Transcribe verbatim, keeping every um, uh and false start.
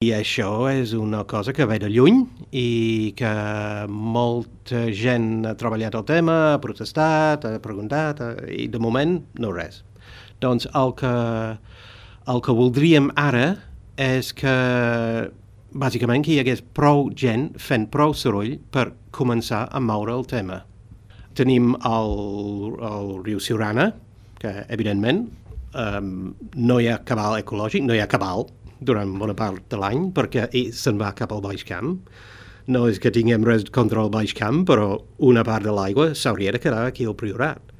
I això és una cosa que ve de lluny i que molta gent ha treballat el tema, ha protestat, ha preguntat, i de moment no res. Doncs el que, el que voldríem ara és que, bàsicament, que hi hagués prou gent fent prou soroll per començar a moure el tema. Tenim el, el riu Siurana, que, evidentment, um, no hi ha cabal ecològic, no hi ha cabal durant bona part de l'any, perquè se'n va cap al Baix Camp. No és que tinguem res contra el Baix Camp, però una part de l'aigua s'hauria de quedar aquí al Priorat.